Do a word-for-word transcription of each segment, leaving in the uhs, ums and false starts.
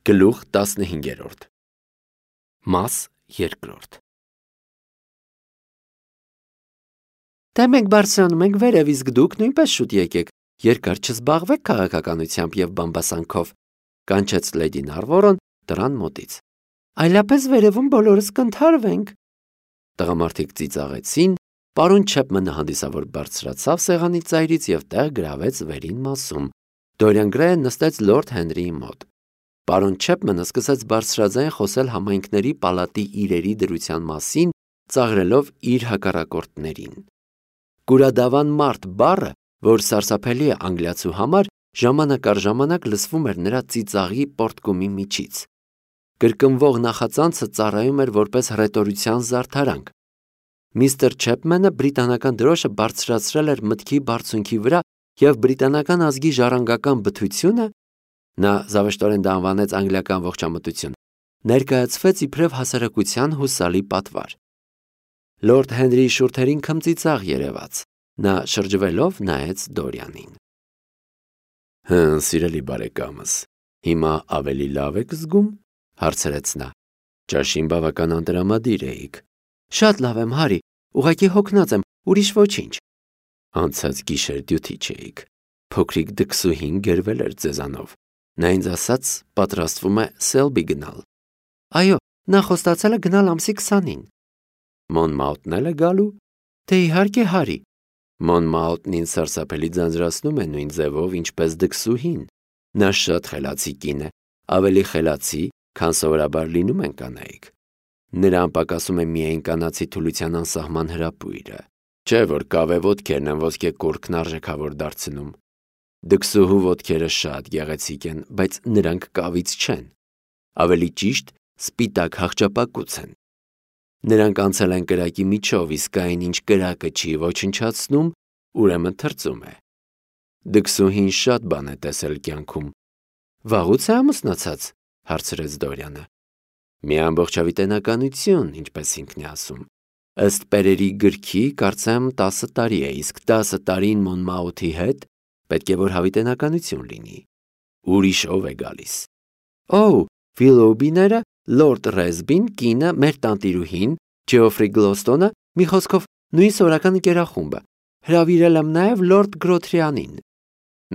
Գլուխ տասնհինգերորդ Մաս երկրորդ Դե մենք բարձրանում ենք վերև, իսկ դուք նույնպես շուտ եկեք, երկար չզբաղվեք քաղաքականությամբ և բամբասանքով, կանչեց լեդի Նարվորոն դռան մոտից։ Այլապես վերևում բոլորս կընդհարվենք։ Տղամարդիկ ծիծաղեցին, պարոն Չեփմենը հանդիսավոր բարձրացավ սեղանի ծայրից և տեղ գրավեց վերին մասում։ Դորիան Գրեյը նստեց լորդ Հենրիի մոտ։ Պարոն Չեփմենը սկսեց բարձրաձայն խոսել համայնքների պալատի իրերի դրության մասին, ծաղրելով իր հակառակորդներին։ Կուրադավան մարդ բառը, որ սարսափելի է անգլիացու համար, ժամանակ առ ժամանակ լսվում էր նրա ծիծաղի պոռթկումի միջից։ Կրկնվող նախածանցը ծառայում էր որպես հռետորության զարդարանք։ Միստր Չեփմենը բրիտանական դրոշը բարձրացրել էր մտքի բարձունքի վրա և բրիտանական ազգի ժառանգական բթությունը, նա զավեշտորեն դա անվանեց անգլիական ողջամտություն, ներկայացվեց իբրև հասարակության հուսալի պատվար։ Լորդ Հենրիի շուրթերին քմծիծաղ երևաց, նա շրջվելով նայեց Դորիանին։ Հը, սիրելի բարեկամս, հիմա ավելի լավ եք զգում, հարցրեց նա։ Ճաշին բավական անտրամադիր էիք։ Շատ լավ եմ, Հարի, ուղղակի հոգնած եմ, ուրիշ ոչինչ։ Անցած գիշեր դյութի չէիք։ Փոքրիկ դքսուհին գերվել էր ձեզանով։ Նա ինձ ասաց, պատրաստվում է Սելբի գնալ։ Այո, նա խոստացել է գնալ ամսի քսանին։ Մոնմաութն էլ է գալու։ Դե իհարկե, Հարի։ Մոնմաութն ինձ սարսափելի ձանձրացնում է նույն ձևով, ինչպես դքսուհին։ Նա շատ խելացի կին է, ավելի խելացի, քան սովորաբար լինում են կանայք։ Նրան պակասում է միայն կանացի թուլության անսահման հրապույրը, չէ՞ որ կավե ոտքերն են ոսկե կուռքն արժեքավոր դարձնում։ Դքսուհու ոտքերը շատ գեղեցիկ են, բայց նրանք կավից չեն։ Ավելի ճիշտ, սպիտակ հախճապակուց են։ Նրանք անցել են կրակի միջով, իսկ այն, ինչ կրակը չի ոչնչացնում, ուրեմն թրծում է։ Դքսուհին շատ բան է տեսել կյանքում։ Վաղուց է ամուսնացած, հարցրեց Դորիանը։ Մի ամբողջավիտենականություն, ինչպես ինքն է ասում։ Ըստ պերերի գրքի, կարծեմ տասը տարի է, իսկ տասը տարին Մոնմաութի հետ պետք է որ հավիտենականություն լինի։ Ուրիշ ով է գալիս։ Օ, Վիլոուբիները, Լորդ Ռեզբին, կինը, մեր տանտիրուհին, Ջեոֆրի Գլոստոնը, մի խոսքով նույն սորական ընկերախումբը։ Հրավիրել եմ նաև Լորդ Գրոթրիանին։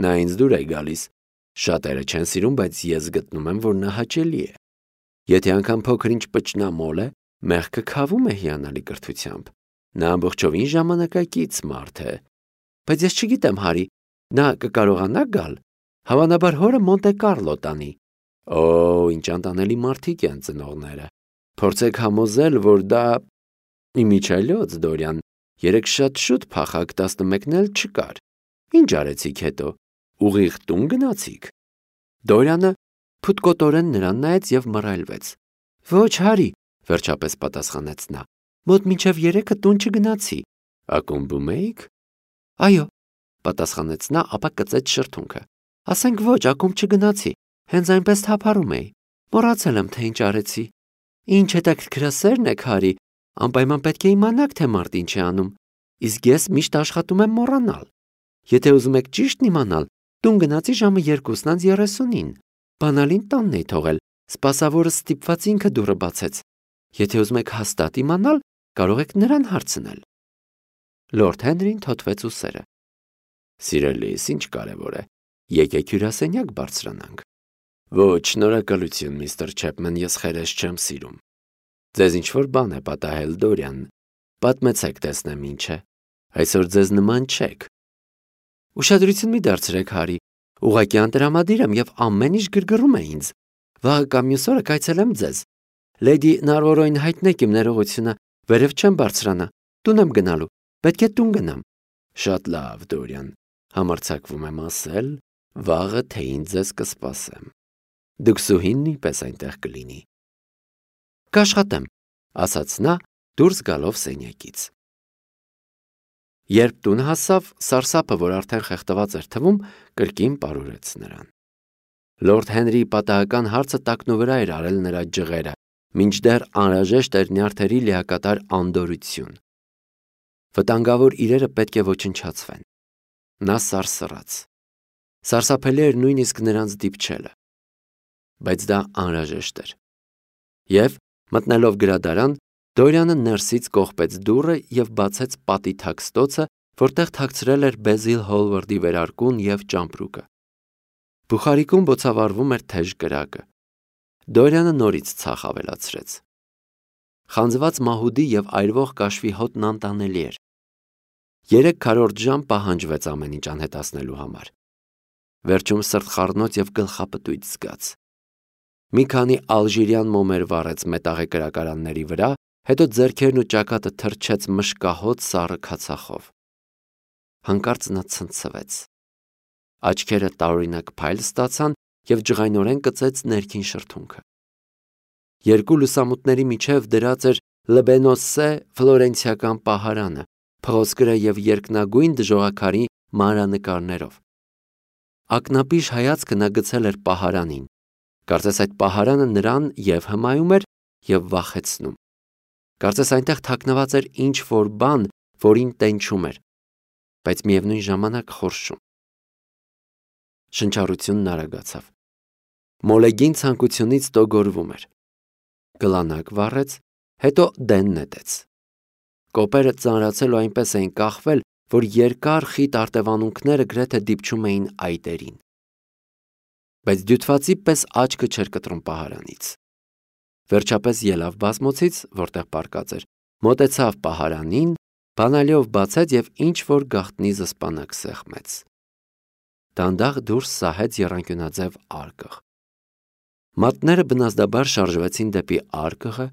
Նա ինձ դուր է գալիս։ Շատերը չեն սիրում, բայց ես գտնում եմ, որ նա հաճելի է։ Եթե անգամ փոքր-ինչ պճնամոլ է, մեղքը քավում է հիանալի կրթությամբ։ Նա ամբողջովին ժամանակակից մարդ է։ Բայց ես չգիտեմ, Հարի, նա կկարողանա գալ։ Հավանաբար հորը Մոնտե Կարլո տանի։ Օ, ինչ անտանելի մարդիկ են ծնողները։ Փորձեք համոզել, որ դա… Իմիջիայլոց, Դորիան, երեկ շատ շուտ փախակ, տասնմեկն էլ չկար։ Ինչ արեցիք հետո։ Ուղիղ տուն գնացիք։ Դորիանը փութկոտորեն նրան նայեց և մռայլվեց։ Ոչ, Հարի, վերջապես պատասխանեց նա։ Մոտ մինչև երեքը տուն չգնացի։ Ակումբում էիք։ Այո, պատասխանեց նա, ապա կծեց շրթունքը։ Ասենք ոչ, ակումբ չգնացի, հենց այնպես թափառում էի։ Մոռացել եմ, թե ինչ արեցի։ Ինչ հետաքրքրասերն եք, Հարի, անպայման պետք է իմանաք, թե մարդ ինչ է անում։ Իսկ ես միշտ աշխատում եմ մոռանալ։ Եթե ուզում եք ճիշտն իմանալ, տուն գնացի ժամը երկուսն անց երեսունին։ Բանալին տանն էի թողել, սպասավորը ստիպված ինքը դուռը բացեց։ Եթե ուզում եք հաստատ իմանալ, կարող եք նրան հարցնել։ Լորդ Հենրին թոթվեց ուսերը։ Սիրելիս, ինչ կարևոր է։ Եկեք հյուրասենյակ բարձրանանք։ Ոչ, շնորհակալություն, միստր Չեփմեն, ես խերես չեմ սիրում։ Ձեզ ինչ-որ բան է պատահել, Դորիան։ Պատմեցեք, տեսնեմ ինչ է։ Այսօր ձեզ նման չեք։ Ուշադրություն մի դարձրեք, Հարի։ Ուղղակի անտրամադիր եմ և ամեն ինչ գրգռում է ինձ։ Վաղը կամ մյուս օրը կայցելեմ ձեզ։ Լեդի Նարվորոյին հայտնեք իմ ներողությունը, վերև չեմ բարձրանա, տուն եմ գնալու, պետք է տուն գնամ։ Շատ լավ, Դորիան, համարձակվում եմ ասել, վաղը թեյին ձեզ կսպասեմ։ Դքսուհին նույնպես այնտեղ կլինի։ Կաշխատեմ, ասաց նա, դուրս գալով սենյակից։ Երբ տուն հասավ, սարսափը, որ արդեն խեղդված էր թվում, կրկին պարուրեց նրան։ Լորդ Հենրիի պատահական հարցը տակնուվրա էր արել նրա ջղերը, մինչդեռ անհրաժեշտ էր նյարդերի լիակատար անդորրություն։ Վտանգավոր իրերը պետք է ոչնչացվեն։ Նա սարսռաց։ Սարսափելի էր նույնիսկ նրանց դիպչելը։ բայց դա անհրաժեշտ էր։ Եվ, մտնելով գրադարան, Դորյանը ներսից կողպեց դուռը և բացեց պատի թաքստոցը, որտեղ թաքցրել էր Բեզիլ Հոլվարդի վերարկուն և ճամպրուկը։ Բուխարիկում բոցավառվում էր թեժ կրակը։ Դորյանը նորից ցախ ավելացրեց։ Խանձված մահուդի և այրվող կաշվի հոտն անտանելի էր։ Երեք քառորդ ժամ պահանջվեց ամեն ինչ անհետացնելու համար։ Վերջում սրտխառնոց և գլխապտույտ զգաց։ Մի քանի ալժիրյան մոմեր վառեց մետաղե կրակարանների վրա, հետո ձեռքերն ու ճակատը թրջեց մշկահոտ սառը քացախով։ Հանկարծ նա ցնցվեց։ Աչքերը տարօրինակ փայլ ստացան և ջղայնորեն կծեց ներքին շրթունքը։ Երկու լուսամուտների միջև դրած էր Լբենոսե ֆլորենցիական պահարանը, փղոսկրը և երկնագույն դժողաքարի մանրանկարներով։ Ակնապիշ հայացքը նա գցել էր պահարանին, կարծես այդ պահարանը նրան և հմայում էր, և վախեցնում։ Կարծես այնտեղ թաքնված էր ինչ-որ բան, որին տենչում էր, բայց միևնույն ժամանակ խորշում։ Շնչառությունն արագացավ։ Մոլեգին ցանկությունից տոգորվում էր։ Գլանակ վառեց, հետո դեն նետեց։ Կոպերը ծանրացել ու այնպես էին կախվել, որ երկար խիտ արտևանունքները գրեթե դիպչում էին այտերին։ Բայց դյութվածի պես աչքը չէր կտրում պահարանից։ Վերջապես ելավ բազմոցից, որտեղ պառկած էր, մոտեցավ պահարանին, բանալիով բացեց և ինչ-որ գաղտնի զսպանակ սեղմեց։ Դանդաղ դուրս սահեց եռանկյունաձև արկղ։ Մատները բնազդաբար շարժվեցին դեպի արկղը,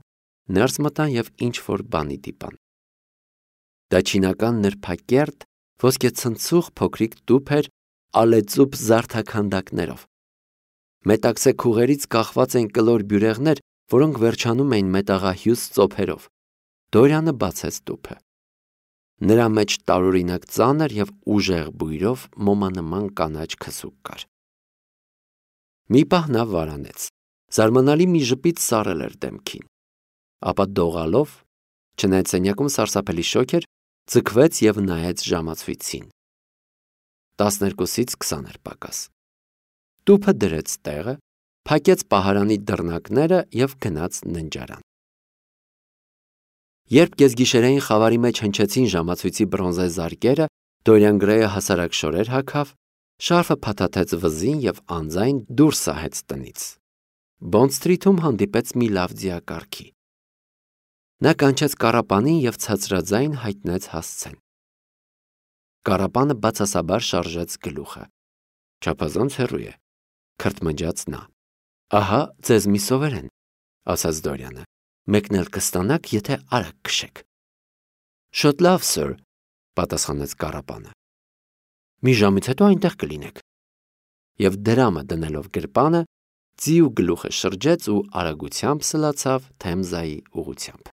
ներս մտան և ինչ-որ բանի դիպան։ Դա չինական նրբակերտ, ոսկեցնցուղ փոքրիկ տուփ էր ալեծուփ զարդաքանդակներով։ Մետաքսե քուղերից կախված էին կլոր բյուրեղներ, որոնք վերջանում էին մետաղահյուս ծոփերով։ Դորյանը բացեց տուփը։ Նրա մեջ տարօրինակ ծանր և ուժեղ բույրով մոմանման կանաչ քսուկ կար։ Մի պահ նա վարանեց, զարմանալի մի ժպիտ սառել էր դեմքին, ապա դողալով, չնայած սենյակում սարսափելի շոգ էր, ձգվեց և նայեց ժամացույցին։ Տասներկուսից քսան էր պակաս։ Տուփը դրեց տեղը, փակեց պահարանի դռնակները և գնաց ննջարան։ Երբ կեսգիշերային խավարի մեջ հնչեցին ժամացույցի բրոնզե զարկերը, Դորիան Գրեյը հասարակ շորեր հագավ, շարֆը փաթաթեց վզին և անձայն դուրս սահեց տնից։ Բոնդ Սթրիթում հանդիպեց մի լավ ձիակառքի։ Նա կանչեց կառապանին և ցածրաձայն հայտնեց հասցեն։ Կառապանը բացասաբար շարժեց գլուխը։ Չափազանց հեռու է, քրթմնջաց նա։ Ահա ձեզ մի սովերեն, ասաց Դորյանը, մեկն էլ կստանաք, եթե արագ քշեք։ Շատ լավ, սըր, պատասխանեց կառապանը։ Մի ժամից հետո այնտեղ կլինեք։ Եվ դրամը դնելով գրպանը, ձիու գլուխը շրջեց ու արագությամբ սլացավ Թեմզայի ուղղությամբ։